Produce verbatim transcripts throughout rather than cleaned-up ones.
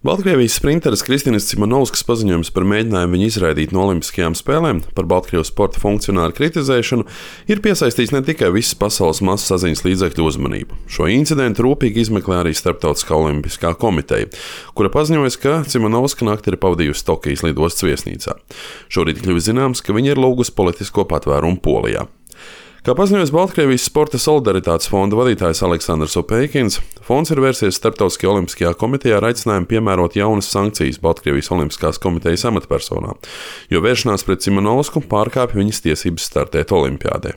Baltkrievijas sprinteres Kristinas Cimanovskas paziņojums par mēģinājumu viņu izraidīt no Olimpiskajām spēlēm, par Baltkrievijas sporta funkcionāru kritizēšanu, ir piesaistījis ne tikai visas pasaules masu saziņas līdzekļu uzmanību. Šo incidentu rūpīgi izmeklē arī Starptautiskā olimpiskā komiteja, kura paziņojas, ka Cimanovska nakti ir pavadījusi Tokijas lidostas viesnīcā. Šorīt kļuvis zināms, ka viņa ir lūgusi politisko patvērumu Polijā. Kā paziņojas Baltkrievijas sporta solidaritātes fonda vadītājs Aleksandrs Opeikins, fonds ir vērsies Starptautiskajā olimpiskajā komitejā ar aicinājumu piemērot jaunas sankcijas Baltkrievijas olimpiskās komitejas amatpersonām, jo vēršanās pret Cimanovsku pārkāpj viņas tiesības startēt olimpiādē.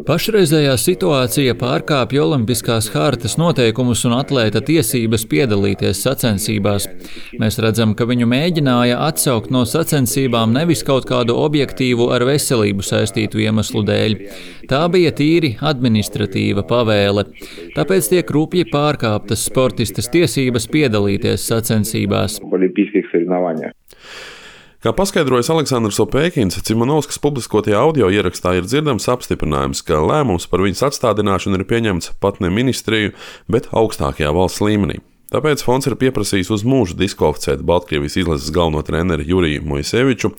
Pašreizējā situācija pārkāpj Olimpiskās hartas noteikumus un atlēta tiesības piedalīties sacensībās. Mēs redzam, ka viņu mēģināja atsaukt no sacensībām nevis kaut kādu objektīvu ar veselību saistītu iemeslu dēļ. Tā bija tīri administratīva pavēle. Tāpēc tiek rupji pārkāptas sportistes tiesības piedalīties sacensībās. Kā paskaidrojas Aleksandrs Opeikins, Cimanovskas publiskotajā audio ierakstā ir dzirdams apstiprinājums, ka lēmums par viņas atstādināšanu ir pieņemts pat ne ministriju, bet augstākajā valsts līmenī. Tāpēc fonds ir pieprasījis uz mūžu diskvalificēt Baltkrievijas izlases galveno treneri Juriju Moiseviču,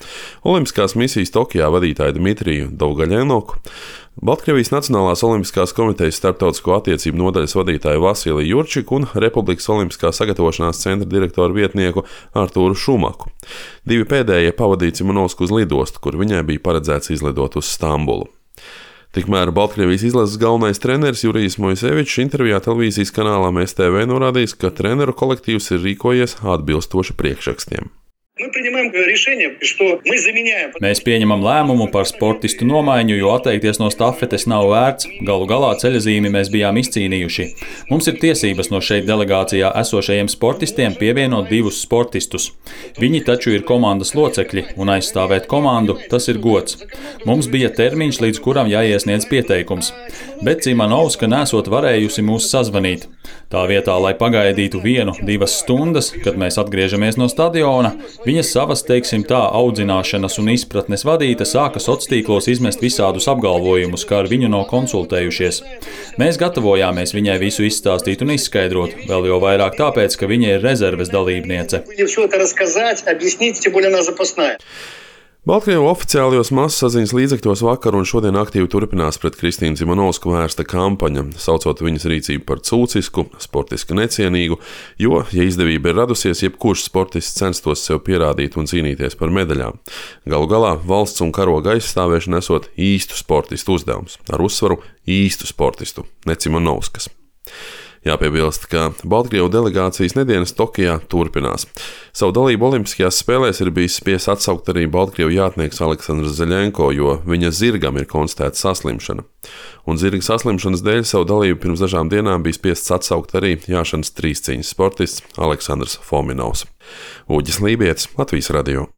Olimpiskās misijas Tokijā vadītāju Dmitriju Dovgaļenoku, Baltkrievijas Nacionālās olimpiskās komitejas starptautisko attiecību nodaļas vadītāju Vasiliju Jurčiku un Republikas olimpiskā sagatavošanās centra direktoru vietnieku Artūru Šumaku. Divi pēdējie pavadīja Cimanovsku uz lidostu, kur viņai bija paredzēts izlidot uz Stambulu. Tikmēr Baltkrievijas izlases galvenais treneris Jurijs Moisevičs intervijā televīzijas kanālām S T V norādījis, ka treneru kolektīvs ir rīkojies atbilstoši priekšrakstiem. Mēs pieņemam lēmumu par sportistu nomaiņu, jo atteikties no stafetes nav vērts. Galu galā ceļazīmi mēs bijām izcīnījuši. Mums ir tiesības no šeit delegācijā esošajiem sportistiem pievienot divus sportistus. Viņi taču ir komandas locekļi, un aizstāvēt komandu tas ir gods. Mums bija termiņš, līdz kuram jāiesniedz pieteikums. Bet Cimanovska nesot varējusi mūs sazvanīt. Tā vietā, lai pagaidītu vienu, divas stundas, kad mēs atgriežamies no stadiona, viņa savas, teiksim tā, audzināšanas un izpratnes vadīta sāka sociālos tīklos izmest visādus apgalvojumus, kā ar viņu nav konsultējušies. Mēs gatavojāmies viņai visu izstāstīt un izskaidrot, vēl jau vairāk tāpēc, ka viņa ir rezerves dalībniece. Baltkrievu oficiālajos masasaziņas līdzekļos vakar un šodien aktīvi turpinās pret Kristīnu Cimanovsku vērsta kampaņa, saucot viņas rīcību par cūcisku, sportiski necienīgu, jo, ja izdevība ir radusies, jebkurš sportists censtos sev pierādīt un cīnīties par medaļām. Galu galā valsts un karoga aizstāvēšana esot īstu sportistu uzdevums, ar uzsvaru īstu sportistu, ne Cimanovskas. Jāpiebilst, ka Baltkrievu delegācijas nedēļas Tokijā turpinās. Savu dalību Olimpiskajās spēlēs ir bijis spiests atsaukt arī Baltkrievu jātnieks Aleksandrs Zeļenko, jo viņa zirgam ir konstatēta saslimšana. Un zirga saslimšanas dēļ savu dalību pirms dažām dienām bija spiests atsaukt arī jāšanas trīscīņas sportists Aleksandrs Fominovs. Uģis Lībietis, Latvijas radio.